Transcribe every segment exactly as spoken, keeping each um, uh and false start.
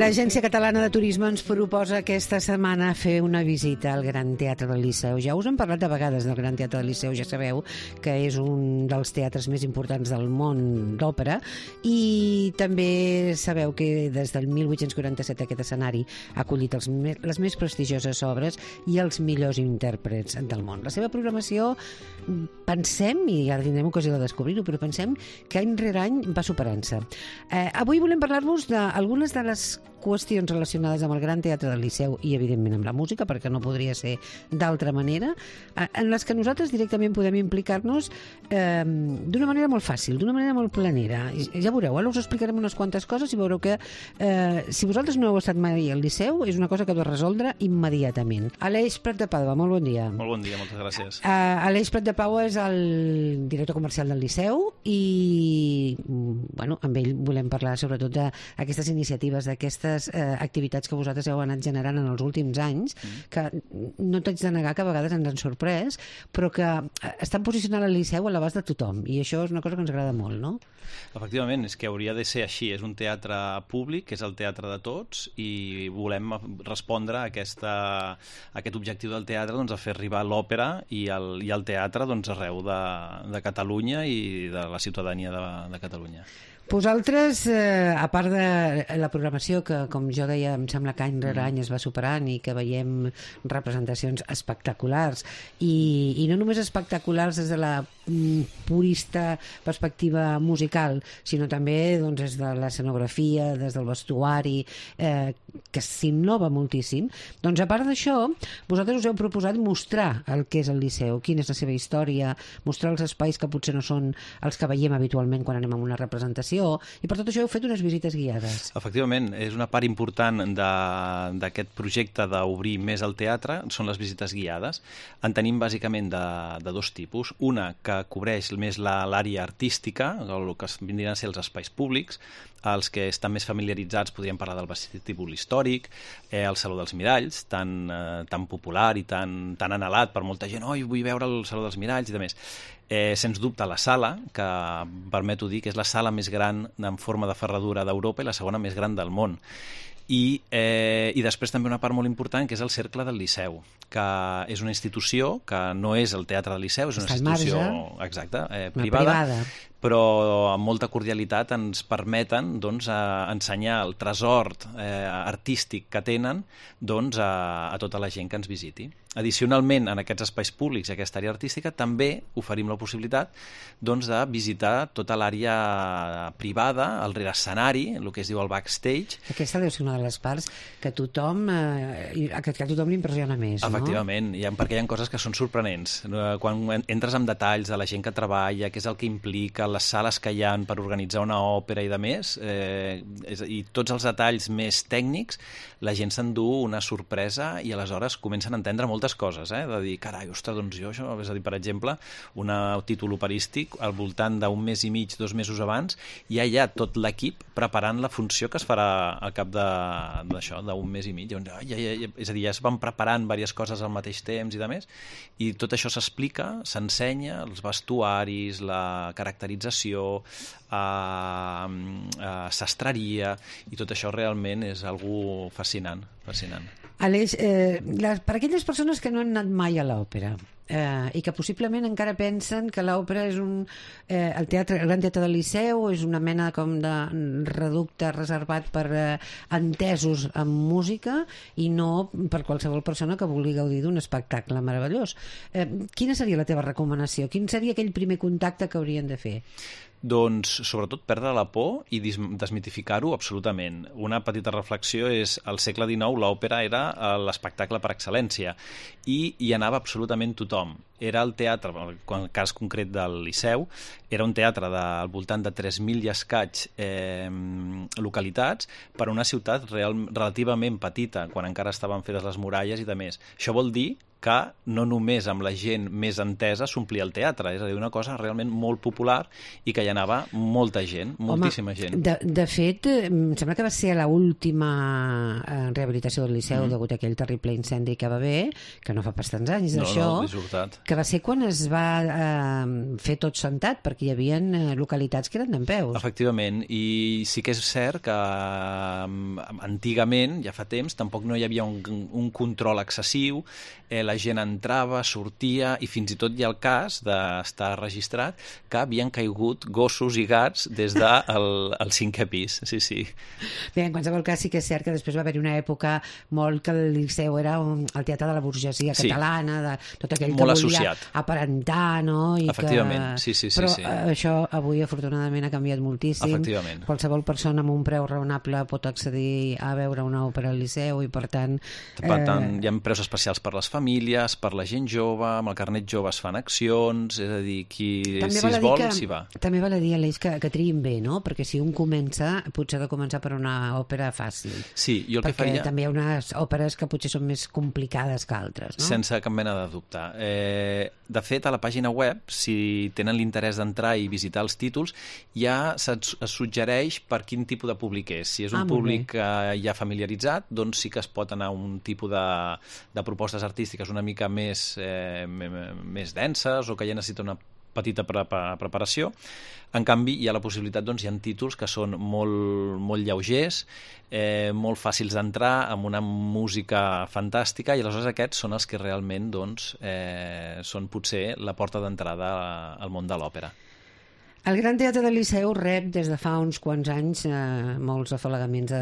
L'Agència Catalana de Turisme ens proposa aquesta setmana fer una visita al Gran Teatre del Liceu. Ja us hem parlat de vegades del Gran Teatre del Liceu, ja sabeu que és un dels teatres més importants del món d'òpera, i també sabeu que des del mil vuit-cents quaranta-set aquest escenari ha acollit els, les més prestigioses obres i els millors intèrprets del món. La seva programació, pensem, i ara tindrem ocasió de descobrir-ho, però pensem que any rere any va superant-se. Eh, avui volem parlar-vos d'algunes de les qüestions relacionades amb el Gran Teatre del Liceu i, evidentment, amb la música, perquè no podria ser d'altra manera, en les que nosaltres directament podem implicar-nos eh, d'una manera molt fàcil, d'una manera molt planera. Ja veureu, ara us explicarem unes quantes coses i veureu que eh, si vosaltres no heu estat mai al Liceu, és una cosa que heu de resoldre immediatament. Aleix Prat de Pau, molt bon dia. Molt bon dia, moltes gràcies. Uh, Aleix Prat de Pau és el director comercial del Liceu i, bueno, amb ell volem parlar sobretot d'aquestes iniciatives, d'aquestes eh, activitats que vosaltres heu anat generant en els últims anys, mm. que no t'haig de negar que a vegades ens han sorprès, però que estan posicionant el Liceu a l'abast de tothom, i això és una cosa que ens agrada molt, no? Efectivament, és que hauria de ser així. És un teatre públic, és el teatre de tots, i volem respondre a, aquesta, a aquest objectiu del teatre, doncs, a fer arribar l'òpera i el, i el teatre, doncs, arreu de, de Catalunya i de la ciutadania de, de Catalunya. Vosaltres, eh, a part de la programació que, com jo deia, em sembla que any rere any es va superant i que veiem representacions espectaculars, i, i no només espectaculars des de la mm, purista perspectiva musical, sinó també doncs, des de l'escenografia, des del vestuari, eh, que s'innova moltíssim, doncs a part d'això, vosaltres us heu proposat mostrar el que és el Liceu, quina és la seva història, mostrar els espais que potser no són els que veiem habitualment quan anem a una representació, i per tot això heu fet unes visites guiades. Efectivament, és una part important d'aquest projecte d'obrir més el teatre, són les visites guiades. En tenim bàsicament de, de dos tipus. Una que cobreix més l'àrea artística, el que vindrien a ser els espais públics. Els que estan més familiaritzats podríem parlar del vestíbul històric, eh, el Saló dels Miralls, tan, eh, tan popular i tan, tan anhelat per molta gent. Oi, vull veure el Saló dels Miralls i de més. Eh, sens dubte la sala, que permeto dir que és la sala més gran en forma de ferradura d'Europa i la segona més gran del món. I, eh, i després també una part molt important, que és el Cercle del Liceu, que és una institució que no és el Teatre del Liceu, és una Està institució exacte, eh, privada, privada, però amb molta cordialitat ens permeten doncs, a ensenyar el tresor eh, artístic que tenen doncs, a, a tota la gent que ens visiti. Addicionalment, en aquests espais públics i aquesta àrea artística també oferim la possibilitat doncs, de visitar tota l'àrea privada, el rere escenari, el que es diu el backstage. Aquesta deu ser una de les parts que tothom, eh, que, que a tothom l'impressiona més, no? Efectivament, hi ha, perquè hi ha coses que són sorprenents. Quan entres en detalls de la gent que treballa, què és el que implica, les sales que hi ha per organitzar una òpera i de més, eh, i tots els detalls més tècnics, la gent s'endú una sorpresa i aleshores comencen a entendre moltes coses, eh? De dir, carai, ostres, doncs jo això, és a dir, per exemple, un títol operístic al voltant d'un mes i mig, dos mesos abans, ja hi ha tot l'equip preparant la funció que es farà al cap d'això, d'un mes i mig. Ja, ja, ja, és a dir, ja es van preparant diverses coses al mateix temps i de més, i tot això s'explica, s'ensenya, els vestuaris, la caracterització, eh, eh, sastreria, i tot això realment és algo fascinant, fascinant. Aleix, eh, les, per aquelles persones que no han anat mai a l'òpera eh, i que possiblement encara pensen que l'òpera és un, eh, el, teatre, el Gran Teatre del Liceu és una mena com de reducte reservat per eh, entesos amb música i no per qualsevol persona que vulgui gaudir d'un espectacle meravellós. Eh, quina seria la teva recomanació? Quin seria aquell primer contacte que haurien de fer? Doncs, sobretot, perdre la por i desmitificar-ho absolutament. Una petita reflexió és, al segle dinou l'òpera era l'espectacle per excel·lència i hi anava absolutament tothom. Era el teatre, en el cas concret del Liceu, era un teatre de, al voltant de tres mil i escaig eh, localitats per a una ciutat real, relativament petita, quan encara estaven fetes les muralles i de més. Això vol dir que no només amb la gent més entesa s'omplia el teatre, és a dir, una cosa realment molt popular i que hi anava molta gent, moltíssima Home, gent. De, de fet, em sembla que va ser a l'última rehabilitació del Liceu mm. degut a aquell terrible incendi que va haver, que no fa pas tants anys d'això, no, no, que va ser quan es va eh, fer tot sentat, perquè hi havia localitats que eren dempeus. Efectivament, i sí que és cert que antigament, ja fa temps, tampoc no hi havia un, un control excessiu, eh, la gent entrava, sortia, i fins i tot hi ha el cas d'estar registrat que havien caigut gossos i gats des del el cinquè pis, sí, sí. Bé, en qualsevol cas sí que és cert que després va haver una època molt que el Liceu era un, el teatre de la burgesia sí. catalana, de tot aquell molt que volia associat. aparentar, no? I efectivament, que... sí, sí, sí. Però sí. això avui afortunadament ha canviat moltíssim. Efectivament. Qualsevol persona amb un preu raonable pot accedir a veure una òpera al Liceu i per tant... Per tant, eh... hi ha preus especials per les famílies, per la gent jove, amb el carnet jove es fan accions, és a dir, qui també si es vol, s'hi va. També val a dir, Aleix, que, que triïn bé, no? Perquè si un comença, potser ha de començar per una òpera fàcil. Sí, jo el perquè que faria... també hi ha unes òperes que potser són més complicades que altres, no? Sense cap mena de dubte. Eh, de fet, a la pàgina web, si tenen l'interès d'entrar i visitar els títols, ja es suggereix per quin tipus de públic és. Si és un ah, públic eh, ja familiaritzat, doncs sí que es pot anar a un tipus de, de propostes artístiques una mica més, eh, més denses o que ja necessita una petita pre preparació. En canvi, hi ha la possibilitat, doncs, hi ha títols que són molt, molt lleugers, eh, molt fàcils d'entrar, amb una música fantàstica, i aleshores aquests són els que realment doncs, eh, són potser la porta d'entrada al món de l'òpera. El Gran Teatre del Liceu rep des de fa uns quants anys eh, molts afalagaments de,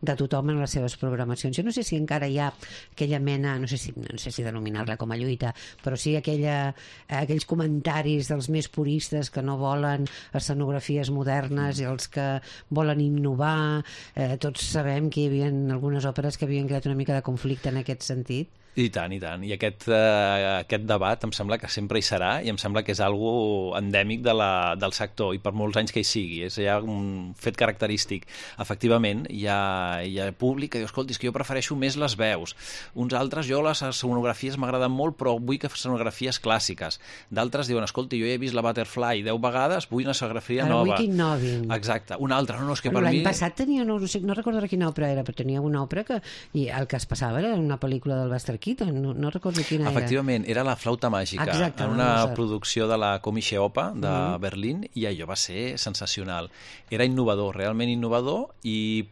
de tothom en les seves programacions. Jo no sé si encara hi ha aquella mena, no sé si, no sé si denominar-la com a lluita, però sí aquella, aquells comentaris dels més puristes que no volen escenografies modernes i els que volen innovar. Eh, tots sabem que hi havia algunes òperes que havien creat una mica de conflicte en aquest sentit. I tant, i tant. I aquest, eh, aquest debat em sembla que sempre hi serà i em sembla que és algo endèmic de la, del sector i per molts anys que hi sigui. És ja un fet característic. Efectivament, hi ha, hi ha públic que diu, escolti, és que jo prefereixo més les veus. Uns altres, jo les escenografies m'agraden molt, però vull que escenografies clàssiques. D'altres diuen, escolti, jo he vist la Butterfly deu vegades, vull una escenografia Ara nova. Vull que innovin. Exacte. Un altre, no, no, és que per L'any mi... passat tenia, no, no recordo quina òpera era, però tenia una òpera que i el que es passava era una pel·lícula del Buster Keaton, no, no recordo quina era. Efectivament, era La flauta màgica, exacte, en una no, producció de la Komische Oper de mm. Berlín, i allò va ser sensacional. Era innovador, realment innovador, i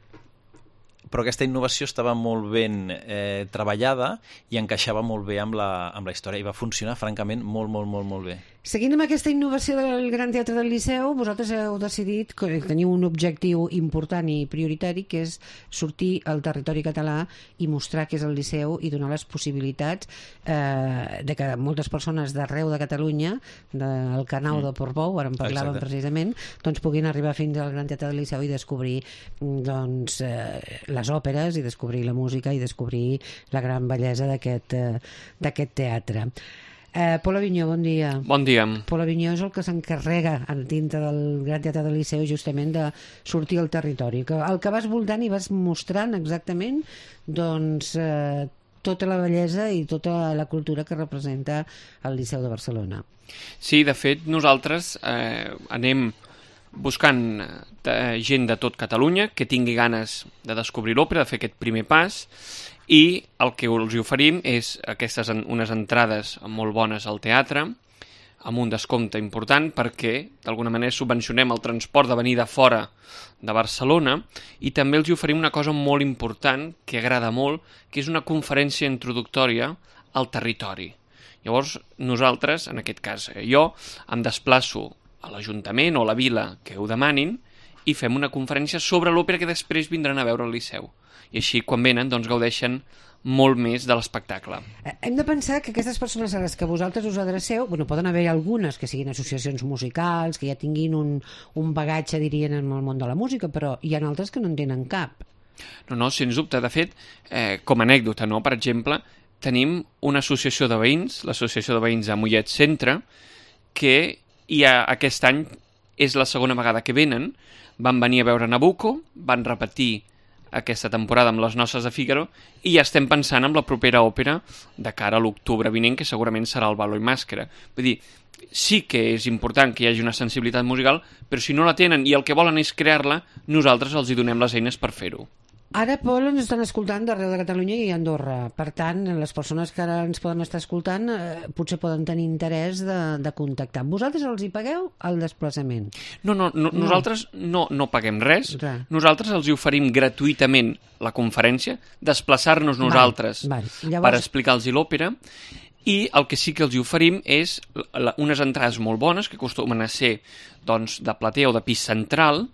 però aquesta innovació estava molt ben eh, treballada i encaixava molt bé amb la, amb la història i va funcionar, francament, molt, molt, molt, molt bé. Seguint amb aquesta innovació del Gran Teatre del Liceu, vosaltres heu decidit que teniu un objectiu important i prioritari, que és sortir al territori català i mostrar què és el Liceu i donar les possibilitats eh, de que moltes persones d'arreu de Catalunya, del Canau mm. de Portbou, ara en parlàvem Exacte. precisament, doncs puguin arribar fins al Gran Teatre del Liceu i descobrir doncs, eh, les òperes i descobrir la música i descobrir la gran bellesa d'aquest eh, d'aquest teatre. Eh, Pol Avinyó, bon dia. Bon dia. Pol Avinyó és el que s'encarrega dintre del Gran Teatre del Liceu justament de sortir al territori. Que, el que vas voltant i vas mostrant exactament doncs, eh, tota la bellesa i tota la cultura que representa el Liceu de Barcelona. Sí, de fet, nosaltres eh, anem buscant eh, gent de tot Catalunya que tingui ganes de descobrir l'òpera, de fer aquest primer pas, i el que els oferim és aquestes unes entrades molt bones al teatre, amb un descompte important perquè d'alguna manera subvencionem el transport de venir de fora de Barcelona, i també els oferim una cosa molt important que agrada molt, que és una conferència introductòria al territori. Llavors nosaltres, en aquest cas jo, em desplaço a l'Ajuntament o a la vila que ho demanin i fem una conferència sobre l'òpera que després vindran a veure al Liceu. I així, quan venen, doncs gaudeixen molt més de l'espectacle. Hem de pensar que aquestes persones a les que vosaltres us adreceu, bueno, poden haver algunes que siguin associacions musicals, que ja tinguin un, un bagatge, dirien, en el món de la música, però hi ha altres que no en tenen cap. No, no, sens dubte. De fet, eh, com a anècdota, no? Per exemple, tenim una associació de veïns, l'Associació de Veïns de Mollet Centre, que ja aquest any és la segona vegada que venen. Van venir a veure Nabucco, van repetir aquesta temporada amb les Noces de Fígaro i ja estem pensant en la propera òpera de cara a l'octubre vinent, que segurament serà el Baló i Màscara. Vull dir, sí que és important que hi hagi una sensibilitat musical, però si no la tenen i el que volen és crear-la, nosaltres els hi donem les eines per fer-ho. Ara, Pol, ens estan escoltant d'arreu de Catalunya i Andorra. Per tant, les persones que ara ens poden estar escoltant eh, potser poden tenir interès de, de contactar. Vosaltres els hi pagueu el desplaçament? No, no, no, no. Nosaltres no, no paguem res. Res. Nosaltres els hi oferim gratuïtament la conferència, desplaçar-nos nosaltres val, val. Llavors... per explicar-los l'òpera, i el que sí que els hi oferim és la, unes entrades molt bones, que acostumen a ser doncs, de platea o de pis central,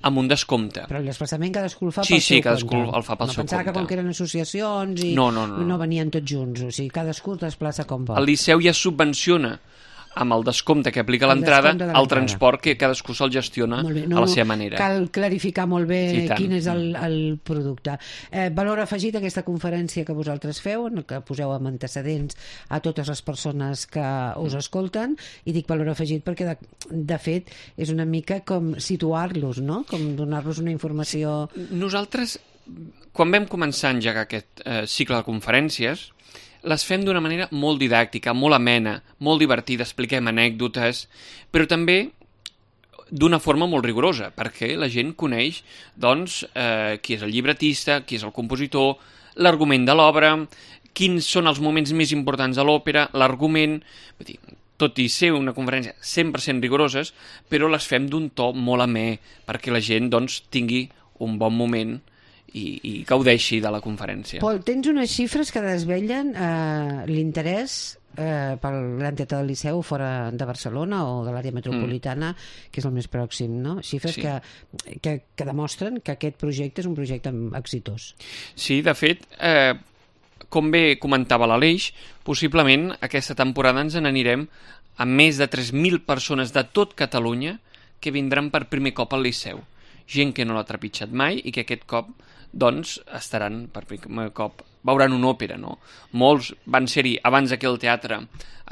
amb un descompte. Però el desplaçament cadascú el fa sí, pel sí, seu cadascú compte. el fa pel no seu pensava compte. que com que eren associacions i no, no, no, no. no venien tots junts. O sigui, cadascú es desplaça com vol. El Liceu ja subvenciona amb el descompte que aplica El l'entrada, descompte de el l'entrada. transport que cadascú se'l gestiona Molt bé, a la seva manera. Cal clarificar molt bé Sí, tant. quin és el, el producte. Eh, valor afegit a aquesta conferència que vosaltres feu, en què poseu amb antecedents a totes les persones que us escolten, i dic valor afegit perquè de, de fet és una mica com situar-los, no? Com donar-los una informació... Nosaltres, quan vam començar a engegar aquest eh, cicle de conferències, les fem d'una manera molt didàctica, molt amena, molt divertida, expliquem anècdotes, però també d'una forma molt rigorosa, perquè la gent coneix doncs, eh, qui és el llibretista, qui és el compositor, l'argument de l'obra, quins són els moments més importants de l'òpera, l'argument... Vull dir, tot i ser una conferència cent per cent rigoroses, però les fem d'un to molt amè, perquè la gent doncs, tingui un bon moment i, i gaudeixi de la conferència. Pol, tens unes xifres que desvellen eh, l'interès eh, pel Gran Teatre del Liceu fora de Barcelona o de l'àrea metropolitana, mm. que és el més pròxim, no? Xifres Sí. que, que, que demostren que aquest projecte és un projecte exitós. Sí, de fet, eh, com bé comentava l'Aleix, possiblement aquesta temporada ens n'anirem amb més de tres mil persones de tot Catalunya que vindran per primer cop al Liceu. Gent que no l'ha trepitjat mai i que aquest cop doncs estaran per primer cop, veuran una òpera, no? Molts van ser-hi abans que el teatre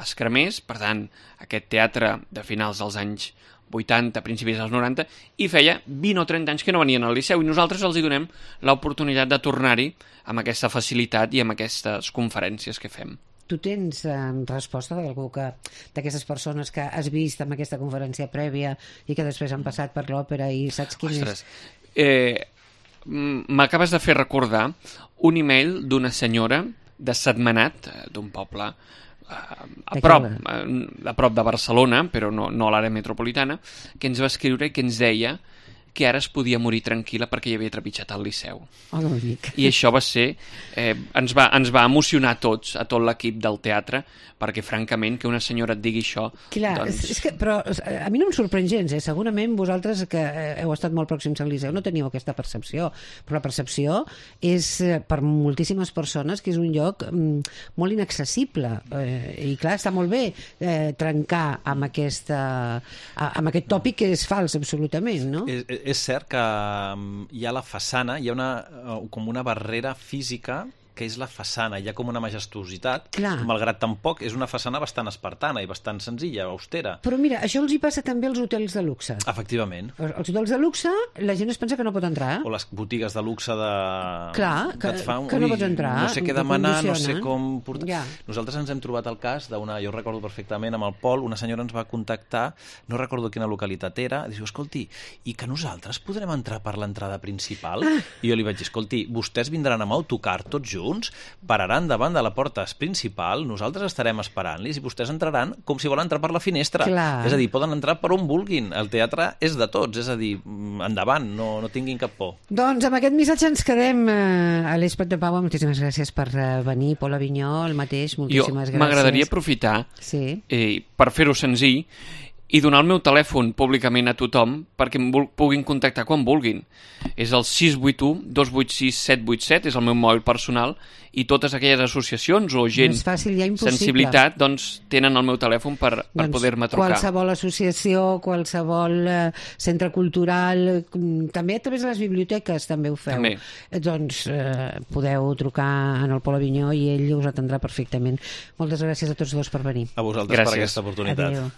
es cremés, per tant, aquest teatre de finals dels anys vuitanta, principis dels noranta, i feia vint o trenta anys que no venien al Liceu, i nosaltres els hi donem l'oportunitat de tornar-hi amb aquesta facilitat i amb aquestes conferències que fem. Tu tens eh, resposta d'algú que d'aquestes persones que has vist en aquesta conferència prèvia i que després han passat per l'òpera i saps quin Ostres, és? eh, m'acabes de fer recordar un email d'una senyora de Sentmenat, d'un poble eh, a, prop, a, a prop de Barcelona, però no, no a l'àrea metropolitana, que ens va escriure i que ens deia que ara es podia morir tranquil·la perquè hi havia trepitjat al Liceu. Oh, no dic. I això va ser... Eh, ens, va, ens va emocionar a tots, a tot l'equip del teatre, perquè, francament, que una senyora et digui això... Clar, doncs... és que, però a mi no em sorprèn gens, eh? Segurament vosaltres que heu estat molt pròxims al Liceu no teniu aquesta percepció, però la percepció és per moltíssimes persones que és un lloc mm, molt inaccessible, eh, i clar, està molt bé eh, trencar amb, aquesta, amb aquest tòpic que és fals absolutament, no? És, és cert que hi ha la façana, hi ha una, com una barrera física que és la façana, hi ha com una majestuositat, Clar. malgrat tampoc és una façana bastant espartana i bastant senzilla, austera. Però mira, això els hi passa també als hotels de luxe. Efectivament. Els hotels de luxe, la gent es pensa que no pot entrar. O les botigues de luxe de... Clar, que, et fan, que no ui, pots entrar. no sé què que demanar, no sé condicionen. com portar... Ja. Nosaltres ens hem trobat el cas d'una, jo recordo perfectament, amb el Pol, una senyora ens va contactar, no recordo quina localitat era, i diu, escolti, i que nosaltres podrem entrar per l'entrada principal? Ah. I jo li vaig dir, escolti, vostès vindran amb autocar tots junts, pararan davant de la porta principal, nosaltres estarem esperant-los i vostès entraran com si volen entrar per la finestra. Clar. És a dir, poden entrar per on vulguin. El teatre és de tots, és a dir, endavant, no, no tinguin cap por. Doncs amb aquest missatge ens quedem. Eh, Aleix Prat de Paua, moltíssimes gràcies per eh, venir. Pol Avinyó, el mateix, moltíssimes jo gràcies. M'agradaria aprofitar sí. eh, per fer-ho senzill i donar el meu telèfon públicament a tothom perquè em puguin contactar quan vulguin. És el sis vuit u, dos vuit sis, set vuit set, és el meu mòbil personal, i totes aquelles associacions o gent és fàcil, ja sensibilitat doncs tenen el meu telèfon per, per doncs, poder-me trucar. Qualsevol associació, qualsevol eh, centre cultural, també a través de les biblioteques també ho feu. També. Doncs eh, podeu trucar en el Pol Avinyó i ell us atendrà perfectament. Moltes gràcies a tots dos per venir. A vosaltres gràcies. per aquesta oportunitat. Adéu.